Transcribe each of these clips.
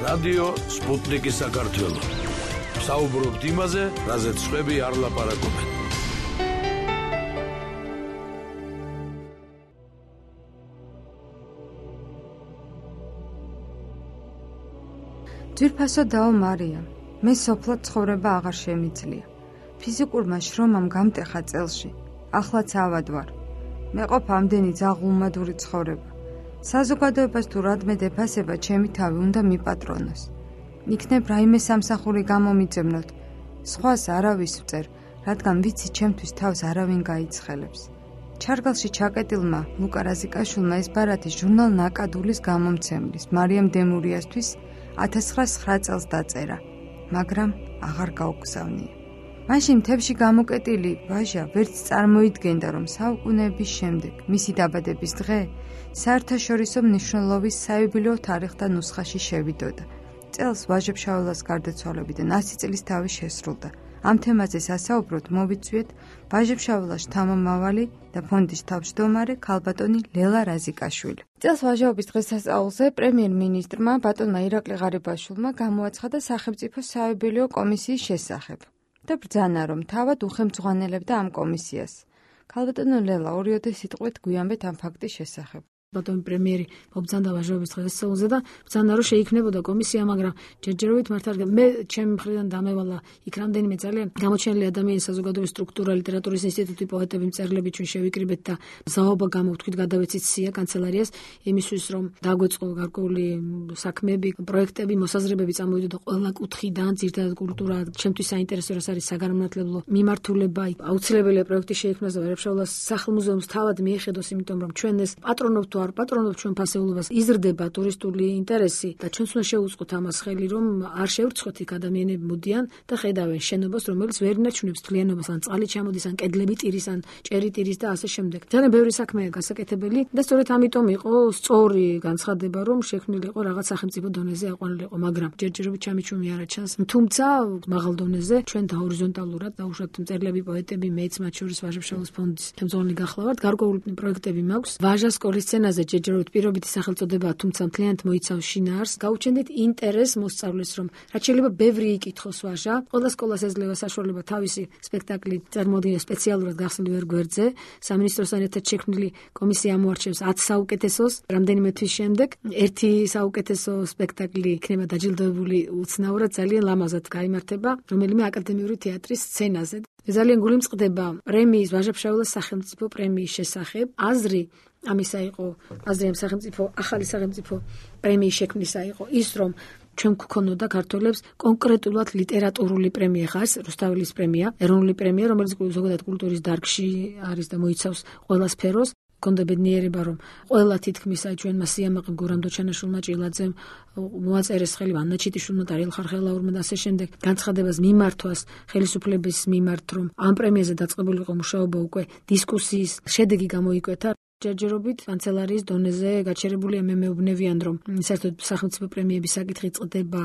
რადიო სპუტნიკი საქართველო. საუბრობთ იმაზე, რაზეც სხვები არ ლაპარაკობენ. ძვირფასო დაო მარიამ, მე სოფლად ცხოვრება აღარ შემიძლია. ფიზიკურმა შრომამ გამტეხა წელში. ახლაც ავად ვარ. მეყოფ ამდენი ძაღლმადური ცხოვრება. საზოგადოებას თუ რადმე დეფასება ჩემი თავი უნდა მიპატრონოს. იქნებ რაიმე სამსახური გამომიძებნოთ. სხვას არავის ვწერ, რადგან ვიცი ჩემთვის თავს არავინ გაიცხელებს. ჩარგალში ჩაკეტილმა ლუკა რაზიკაშვილმა ეს ბარათი ჟურნალ ნაკადულის გამომცემლის მარიამ დემურიასთვის 1909 წელს დაწერა, მაგრამ აღარ გაუგზავნია. მაშინ მთებში გამოკეტილი ვაჟა ვერც წარმოიდგენდა, რომ საუკუნეების შემდეგ მისი დაბადების დღე საერთაშორისო მნიშვნელობის საიუბილეო თარიღთა ნუსხაში შევიდოდა. წელს ვაჟებ-შაველას გარდაცვალებიდან 100 წლის თავი შესრულდა. ამ თემაზე სასაუბროდ მოვიწვიეთ ვაჟებ-შაველას შთამომავალი და ფონდის თავმჯდომარე ქალბატონი ლელა რაზიკაშვილი. წელს ვაჟაობის დღესასწაულზე პრემიერ-მინისტრმა ბატონმა ირაკლი ღარიბაშვილმა გამოაცხადა სახელმწიფო საიუბილეო კომისიის შესახებ და ბრძანა, რომ თავად უხელმძღვანელებდა ამ კომისიას. ქალბატონო ლელა, ორიოდე სიტყვით გვიანბეთ ამ ფაქტის შესახებ. ბატონი პრემიერი მობრძანდა ვაჟაობის დღესასწაულზე და ბრძანა, რომ შეიქმნებოდა კომისია, მაგრამ ჯერჯერობით მართ არ მე ჩემი მხრიდან დამევალა იქ რამდენიმე ძალიან გამოჩენილი ადამიანის საზოგადოების სტრუქტურა, ლიტერატურის ინსტიტუტი, პოეტები, მწერლები ჩვენ შევიკრიბეთ და ზაობა გამოვთქვით, გადავეცით სია კანცელარიას იმისთვის, რომ დაგვეწყო გარკვეული საქმეები, პროექტები, მოსაზრებები წამოვიდოდა ყველა კუთხიდან, ძირითადად კულტურა, ჩემთვის საინტერესო რას არის საგანმანათლებლო მიმართულება, აუცილებელია პროექტი შეიქმნას და ვაჟებ-შაველას სახლ-მუზეუმს თავად მიეხედოს, იმიტომ რომ ჩვენ ეს პატრონობთ პატრონობთ ჩვენ ფასეულობას, იზრდება ტურისტული ინტერესი და ჩვენც უნდა შევუწყოთ ამას ხელი, რომ არ შევრცხოთ იქ ადამიანები მოდიან და ხედავენ შენობას, რომელიც ვერ ინარჩუნებს თლიანობას, ან წყალი ჩამოდის, ან კედლები ტირის, ან ჭერი ტირის და ასე შემდეგ. ძალიან ბევრი საქმეა გასაკეთებელი და სწორედ ამიტომ იყო სწორი განცხადება, რომ შექმნილიყო რაღაც სახელმწიფო დონეზე აყვანილიყო, მაგრამ ჯერჯერობით ჩამიჩუმი არ აჩანს. თუმცა მაღალ დონეზე ჩვენ და ჰორიზონტალურად დაუშვათ მწერლები, პოეტები, მეც მათ შორის ვაჟებ-შაველას ფონდის ხელმძღვანელი გახლავართ, გარკვეული პროექტები მაქვს. ვაჟა სკოლის სცენაზე ჯერჯერობით პირობითი სახელწოდება, თუმცა მთლიანად მოიცავს შინაარს. გაუჩენდეთ ინტერესს მოსწავლეს, რომ რაც შეიძლება ბევრი იკითხოს ვაჟა. ყველა სკოლას ეძლევა საშუალება თავისი სპექტაკლი წარმოადგინოს სპეციალურად გახსნილი ვერ გვერდზე. სამინისტროსთან ერთად შექმნილი კომისია ამოარჩევს 10 საუკეთესოს. რამდენიმე თვის შემდეგ ერთი საუკეთესო სპექტაკლი იქნება დაჯილდოებული უცნაურად ძალიან ლამაზად გაიმართება რომელიმე აკადემიური თეატრის სცენაზე. ძალიან გულიმწყდება პრემიის ვაჟებ-შაველას სახელმწიფო პრემიის შესახებ. აზრი ამისა იყო, აზრი ამ სახელმწიფო ახალი სახელმწიფო პრემიის შექმნისა იყო ის, რომ ჩვენ გვქონოდა ქართველებს კონკრეტულად ლიტერატურული პრემია ხარ, რუსთაველის პრემია, ეროვნული პრემია, რომელიც ზოგადად კულტურის დარგში არის და მოიცავს ყველა სფეროს. კონდა ბედნიერება, რომ ყველა თითქმის აი ჩვენმა სიამაყემ გურამ დოჩანაშვილმა, ჭილაძემ მოაწერეს ხელი, ანნა ჩიტიშვილმა, დარიელ ხარხელაურმა და ასე შემდეგ განცხადებას მიმართვას ხელისუფლების მიმართ, რომ ამ პრემიაზე დაწყებულიყო მუშაობა უკვე დისკუსიის შედეგი გამოიკვეთა. ჯერჯერობით კანცელარიის დონეზე გაჩერებულია, მე მეუბნევიან, რომ საერთოდ სახელმწიფო პრემიების საკითხი წყდება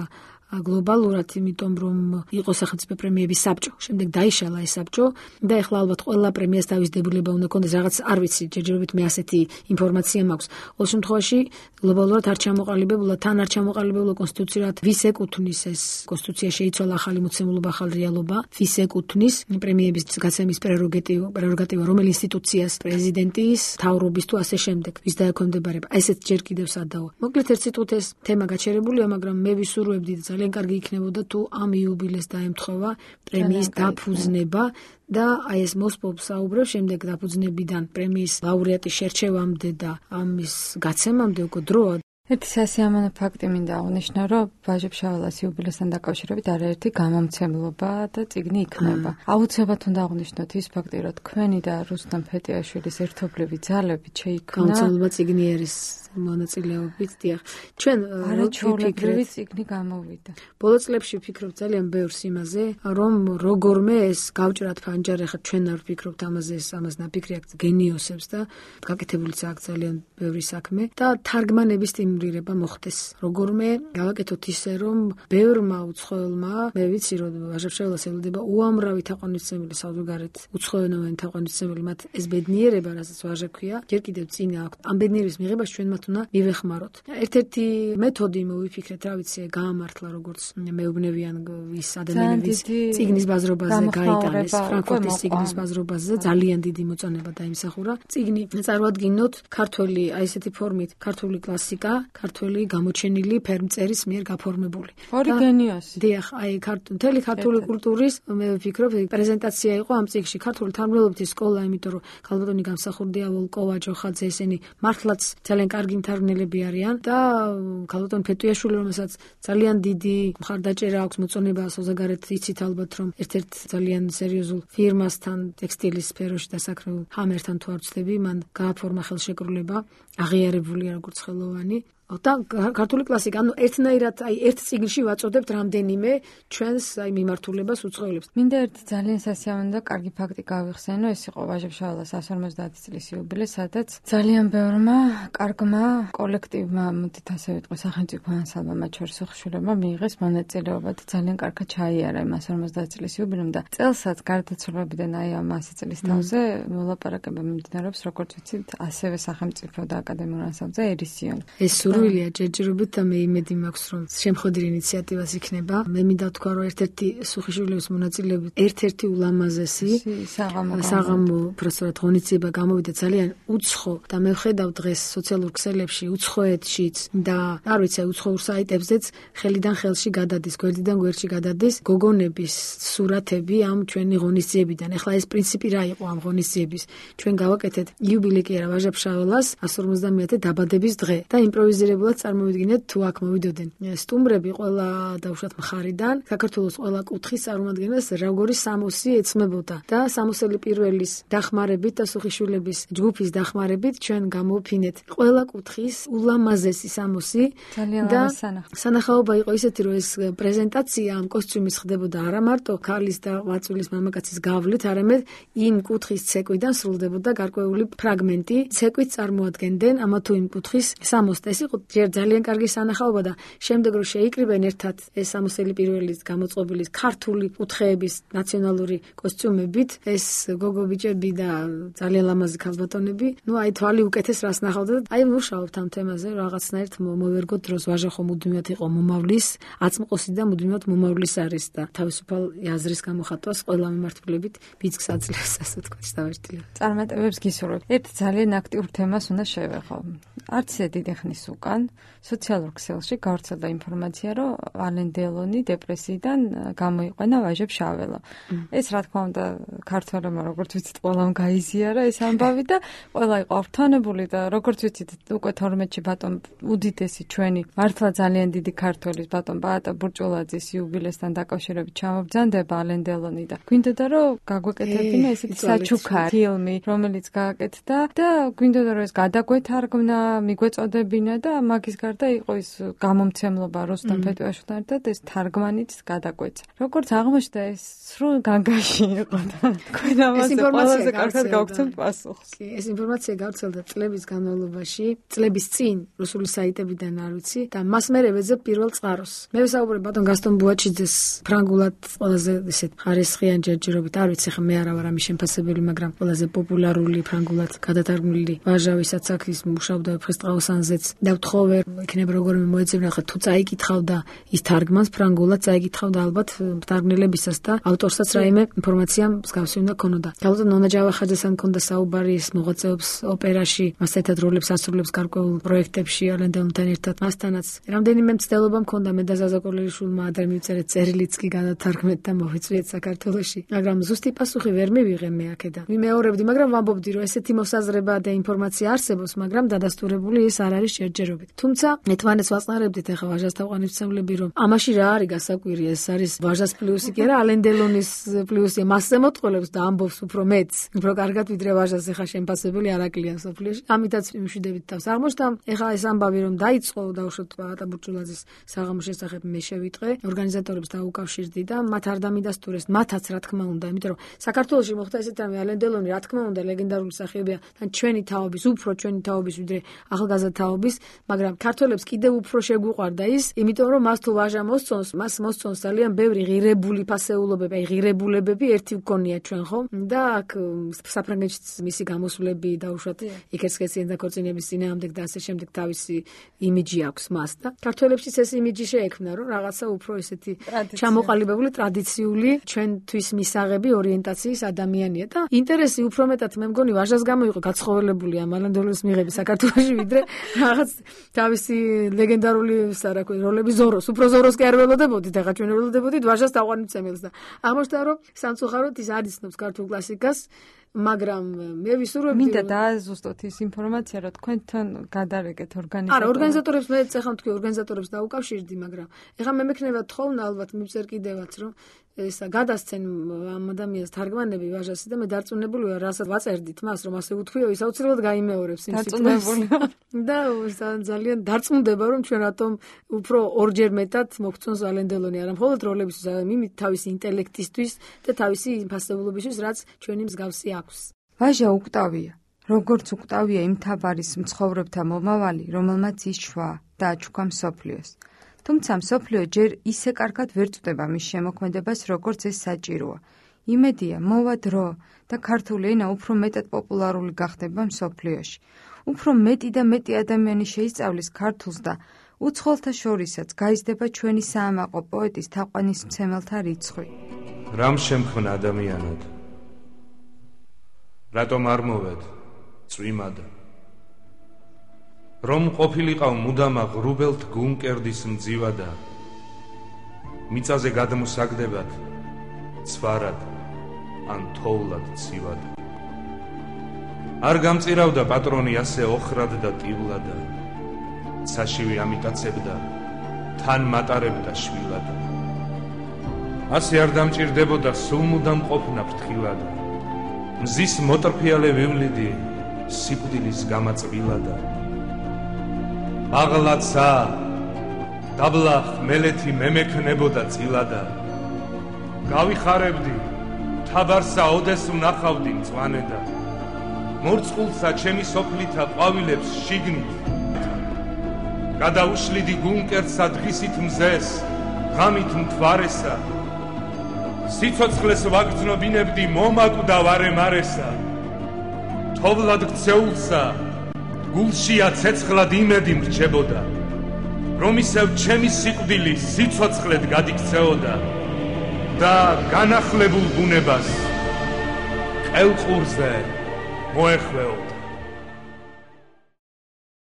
გლობალურად, იმიტომ რომ იყო სახელმწიფო პრემიების საბჭო. შემდეგ დაიშალა ეს საბჭო და ეხლა ალბათ ყველა პრემიას დავის-დებულება უნდა კონდეს, რაღაც არ ვიცი, ჯერჯერობით მე ასეთი ინფორმაცია მაქვს. ყოველ შემთხვევაში გლობალურად არ ჩამოყალიბებულა, თან არ ჩამოყალიბებულა კონსტიტუციურად ვის ეკუთვნის ეს კონსტიტუცია შეიცვალა ახალი მოცემულობა, ახალი რეალობა, ვის ეკუთვნის პრემიების გაცემის პრეროგატივა, რომელ ინსტიტუციას, პრეზიდენტის, მთავრობის თუ ასე შემდეგ, ვის დაექვემდებარება. ესეც ჯერ კიდევ სადაო. მოკლედ ერთ სიტყვით ეს თემა გაჩერებულია, მაგრამ მე ვისურვებდი ძალიან კარგი იქნებოდა თუ ამ იუბილეს დაემთხვევა პრემიის დაფუძნება და აი ეს მოსპობს საუბრებს შემდეგ დაფუძნებიდან პრემიის ლაურეატის შერჩევამდე და ამის გაცემამდე უკვე დროა. ერთი სასიამოვნო ფაქტი მინდა აღნიშნო, რომ ვაჟებ-შაველას იუბილესთან დაკავშირებით არაერთი გამომცემლობა და წიგნი იქნება. აუცილებლად უნდა აღნიშნოთ ის ფაქტი, რომ თქვენი და რუსტამ ფეტიაშვილის ერთობლივი ძალებით შეიქმნა გამომცემლობა წიგნი არის მონაწილეობით, დიახ. ჩვენ არაჩვეულებრივი წიგნი გამოვიდა. ბოლო წლებში ვფიქრობ ძალიან ბევრს იმაზე, რომ როგორმე ეს გავჭრათ ფანჯარი, ხა ჩვენ არ ვფიქრობთ ამაზე, ამას ნაფიქრი აქვს გენიოსებს და გაკეთებულიც აქვს ძალიან ბევრი საქმე და თარგმანების იმ სტუმრირება მოხდეს. Როგორმე გავაკეთოთ ისე, რომ ბევრმა უცხოელმა, მე ვიცი, რომ ვაჟა-ფშაველას ელოდება უამრავი თაყვანისმცემელი საზოგადოებრივ უცხოენოვანი თაყვანისმცემელი, მათ ეს ბედნიერება, რასაც ვაჟა ქვია, ჯერ კიდევ წინა აქვს. ამ ბედნიერების მიღებას ჩვენ მათ უნდა მივეხმაროთ. ერთ-ერთი მეთოდი მოვიფიქრეთ, რა ვიცი, გაამართლა როგორც მეუბნებიან ის ადამიანების წიგნის ბაზრობაზე გაიტანეს, ფრანკფურტის წიგნის ბაზრობაზე ძალიან დიდი მოწონება დაიმსახურა. წიგნი წარმოადგინოთ ქართველი, აი ესეთი ფორმით, ქართული კლასიკა, ქართველი გამოჩენილი ფერმწერის მიერ გაფორმებული. ორიგენიოსი. დიახ, აი მთელი ქართული კულტურის მე ვფიქრობ პრეზენტაცია იყო ამ წიგნში. ქართული თანმიმდევრობითი სკოლა, იმიტომ რომ ქალბატონი გამსახურდია ვოლკოვა, ჯოხაძე, ესენი მართლაც ძალიან კარგი მთარგმნელები არიან და ქალბატონი ფეტუიაშვილი, რომელსაც ძალიან დიდი მხარდაჭერა აქვს, მოწონება საზოგადოებრივ იცით ალბათ, რომ ერთ-ერთ ძალიან სერიოზულ ფირმასთან ტექსტილის სფეროში დასაქმებულ ჰამერთან თუ არ ვცდები, მან გააფორმა ხელშეკრულება, აღიარებულია როგორც ხელოვანი. და ქართული კლასიკა, ანუ ერთნაირად აი ერთ წიგნში ვაწოდებთ რამდენიმე ჩვენს აი მიმართულებას უცხოელებს. მინდა ერთი ძალიან სასიამოვნო და კარგი ფაქტი გავიხსენო, ეს იყო ვაჟა-ფშაველას 150 წლის იუბილე, სადაც ძალიან ბევრმა კარგმა კოლექტივმა, მოდით ასე ვიტყვი, სახელმწიფო ანსამბლმა, მათ შორის ხშირებმა მიიღეს მონაწილეობა და ძალიან კარგად ჩაიარა იმ 150 წლის იუბილემ და წელსაც გარდაცვალებიდან აი ამ 100 წლის თავზე მოლაპარაკება მიმდინარეობს, როგორც ვიცით, ასევე სახელმწიფო და აკადემიურ ანსამბლზე ერისიონი. სურვილია ჯერჯერობით და მე იმედი მაქვს, რომ შემხოდիր ინიციატივას იქნება. მე მინდა თქვა, რომ ერთ-ერთი სუხიშვილების მონაწილეობით ერთ-ერთი ულამაზესი საღამო პროცესად ღონისძიება გამოვიდა ძალიან უცხო და მე ვხედავ დღეს სოციალურ ქსელებში, უცხოეთშიც და არ ვიცი, უცხოურ საიტებზეც ხელიდან ხელში გადადის, გვერდიდან გვერდში გადადის გოგონების სურათები ამ ჩვენი ღონისძიებიდან. ეხლა ეს პრინციპი რა იყო ამ ღონისძიების? ჩვენ გავაკეთეთ იუბილე კი არა ვაჟა-ფშაველას 150-ე დაბადების დღე და იმპროვიზირებულად წარმოვიდგინეთ თუ აქ მოვიდოდნენ სტუმრები ყველა დაუშვათ მხარიდან, საქართველოს ყველა კუთხის წარმომადგენლებს როგორი სამოსი ეცმებოდა და სამოსელი პირველის დახმარებით და სუხიშვილების ჯგუფის დახმარებით ჩვენ გამოვფინეთ ყველა კუთხის ულამაზესი სამოსი და სანახაობა იყო ისეთი, რომ ეს პრეზენტაცია ამ კოსტიუმის ხდებოდა არა მარტო ქალის და ღვაწლის მამაკაცის გავლით, არამედ იმ კუთხის ცეკვიდან სრულდებოდა გარკვეული ფრაგმენტი, ცეკვით წარმოადგენდნენ ამა თუ იმ კუთხის სამოსს. ეს იყო ძალიან კარგი სანახაობა და შემდეგ რომ შეიკრიბენ ერთად ეს სამოსელი პირველის გამოწყობილის ქართული კუთხეების ნაციონალური კოსტიუმებით, ეს გოგო-ბიჭები და ძალიან ლამაზი ქალბატონები, ნუ აი თვალი უკეთეს რას ნახავდა და აი მუშაობთ ამ თემაზე, რაღაცნაირად მოვერგოთ დროს ვაჟა ხომ მუდმივად იყო მომავლის აწმყოსი და მუდმივად მომავლის არის და თავისუფალ აზრის გამოხატვას ყველა მიმართულებით ბიძგს აძლევს, ასე ვთქვათ, დავერტილებ. წარმატებებს გისურვებ. ერთ ძალიან აქტიურ თემას უნდა შევეხო. არც დიდი ხნის უკან სოციალურ ქსელში გავრცელდა ინფორმაცია, რომ ალენ დელონი დეპრესიიდან გამოიყვანა ვაჟა-ფშაველა. ეს რა თქმა უნდა ქართველებმა როგორც ვიცით ყველამ გაიზიარა ეს ამბავი და ყველა იყო ავთანებული და როგორც ვიცით უკვე 12-ში ბატონ უდიდესი ჩვენი მართლა ძალიან დიდი ქართველის ბატონ პაატა ბურჭულაძის იუბილესთან დაკავშირებით ჩამობრძანდება ალენ დელონი და გვინდოდა რომ გაგვეკეთებინა ესეთი საჩუქარი ფილმი, რომელიც გააკეთდა და გვინდოდა რომ ეს გადაგვეთარგმნა, მიგვეწოდებინა და მაგის გარდა იყო ის გამომცემლობა რუსთან ფეტუიაშვილთან ერთად ეს თარგმანიც გადაგვეცა. როგორც აღმოჩნდა ეს სრულ განგაში იყო და თქვენ ამაზე ყველაზე კარგად გავგცემთ პასუხს. კი, ეს ინფორმაცია გავრცელდა წლების განმავლობაში, წლების წინ რუსული საიტებიდან არ ვიცი და მას მერე ვეძებ პირველ წყაროს. მე ვსაუბრობ ბატონ გასტონ ბუაჩიძეს ფრანგულად ყველაზე ესეთ ხარისხიან ჯერჯერობით, არ ვიცი ხა მე არა ვარ ამის შემფასებელი, მაგრამ ყველაზე პოპულარული ფრანგულად გადათარგმნილი ვაჟა, ვისაც აქ ის მუშაობდა ფრესტყაოსანზეც და ვთხოვე იქნება როგორი მოეწევნა ხა თუ წაიკითხავდა ის თარგმანს ფრანგულად წაიკითხავდა ალბათ თარგმნელებისას და ავტორსაც რაიმე ინფორმაცია მსგავსი უნდა ქონოდა. ალბათ ნონა ჯავახაძესთან ქონდა საუბარი, ის მოღვაწეობს ოპერაში, მასთან ერთად როლებს ასრულებს გარკვეულ პროექტებში ალენ დელონთან ერთად. მასთანაც რამდენიმე მცდელობა მქონდა, მე და ზაზა კოლეიშვილმა ადრე მივწერეთ წერილიც კი გადათარგმნეთ და მოვიწვიეთ საქართველოში. მაგრამ ზუსტი პასუხი ვერ მივიღე მე აქედან. ვიმეორებდი, მაგრამ ვამბობდი რომ ესეთი მოსაზრება და ინფორმაცია არსებობს, მაგრამ დადასტურებული ის არ არის ჯერჯერობით. თუმცა ერთმანეთს ვაწყნარებდით ახლა ვაჟას თაყვანისმცემლები, რომ ამაში რა არის გასაკვირი, ეს არის ვაჟას პლუსი კი არა, ალენ დელონის პლუსი, მასზე მოტყოლებს და ამბობს უფრო მეც, უფრო კარგად ვიდრე ვაჟას ახლა შემფასებელი არ აკლია სოფლიოში. ამიტაც მშვიდებით თავს აღმოჩნდა. ახლა ეს ამბავი რომ დაიწყო დაუშვათ პაატა ბურჭულაძის საღამოს შესახებ მე შევიტყვე, ორგანიზატორებს დაუკავშირდი და მათ არ დამიდასტურეს, მათაც რა თქმა უნდა, იმიტომ რომ საქართველოში მოხდა ესეთ რამე, ალენ დელონი რა თქმა უნდა ლეგენდარული სახეობია და ჩვენი თაობის, უფრო ჩვენი თაობის ვიდრე ახალგაზრდა თაობის მაგრამ ქართველებს კიდევ უფრო შეგვიყვარდა ის, იმიტომ რომ მას თუ ვაჟა მოსწონს, მას მოსწონს ძალიან ბევრი ღირებული ფასეულობები, აი ღირებულებები ერთი ვქონია ჩვენ ხო? და აქ საფრანგეთში მისი გამოსვლები დაუშვათ იკერცკეციან და ქორწინების წინააღმდეგ და ასე შემდეგ თავისი იმიჯი აქვს მას და ქართველებშიც ეს იმიჯი შეექმნა, რომ რაღაცა უფრო ესეთი ჩამოყალიბებული ტრადიციული ჩვენთვის მისაღები ორიენტაციის ადამიანია და ინტერესი უფრო მეტად მე მგონი ვაჟას გამო იყო გაცხოველებული ამ ალანდოლის მიღების საქართველოში ვიდრე რაღაც თავისი ლეგენდარული როლები ზოროს, უფრო ზოროს კი არ ველოდებოდით, ახლა ჩვენ ველოდებოდით ვაჟას თაყვანისმცემელს და აღმოჩნდა რომ სამწუხაროდ ის არ იცნობს ქართულ კლასიკას, მაგრამ მე ვისურვებდი მინდა დააზუსტოთ ის ინფორმაცია, რომ თქვენთან გადარეკეთ ორგანიზატორებს. არა, ორგანიზატორებს მე ეხლა თქვი ორგანიზატორებს დაუკავშირდი, მაგრამ ეხლა მე მექნება თხოვნა ალბათ მივწერ კიდევაც რომ ესა გადასცენ ამ ადამიანს თარგმანები ვაჟასი და მე დარწმუნებული ვარ, რასაც ვაწერდით მას, რომ ასე უთქვიო, ის აუცილებლად გაიმეორებს იმ სიტყვას. და ძალიან დარწმუნდება, რომ ჩვენ რატომ უფრო ორჯერ მეტად მოგწონს ვალენდელონი, არა მხოლოდ როლებისთვის, არამედ თავისი ინტელექტისთვის და თავისი ფასეულობისთვის, რაც ჩვენი მსგავსი აქვს. ვაჟა უკტავია, როგორც უკტავია იმ თაბარის მცხოვრებთა მომავალი, რომელმაც იშვა და აჩუქა მსოფლიოს. თუმცა მსოფლიო ჯერ ისე კარგად ვერ წვდება მის შემოქმედებას, როგორც ეს საჭიროა. იმედია, მოვა დრო და ქართული ენა უფრო მეტად პოპულარული გახდება მსოფლიოში. უფრო მეტი და მეტი ადამიანი შეისწავლის ქართულს და უცხოელთა შორისაც გაიზრდება ჩვენი საამაყო პოეტის თაყვანისმცემელთა რიცხვი. რამ შემქმნა ადამიანად? რატომ არ მოვედ წვიმად? რომ ყოფილიყავ მუდამა ღრუბელთ გუნკერდის მძივადა, მიწაზე გადმოსაგდებად ცვარად ან თოვლად ცივად. არ გამწირავდა პატრონი ასე ოხრად და ტივლადა, საშივი ამიტაცებდა თან მატარებდა შვილად. ასე არ დამჭირდებოდა სულ მუდამ ყოფნა ფრთხილად, მზის მოტრფიალე ვივლიდი სიკვდილის გამაწვილადა. აღლაცა დაბლა ხმელეთი მემექნებოდა წილადა, გავიხარებდი თაბარსა ოდეს ვნახავდი მწვანედა, მორწყულსა ჩემი სოფლითა ყვავილებს შიგნით, გადაუშლიდი გუნკერსა დღისით მზეს, ღამით მთვარესა, სიცოცხლეს ვაგრძნობინებდი მომაკვდა ვარემარესა, თოვლად გცეულსა გულშია ცეცხლად იმედი მრჩებოდა, რომ ისევ ჩემი სიკვდილი სიცოცხლედ გადიქცეოდა და განახლებულ ბუნებას ყელყურზე მოეხვეოდა.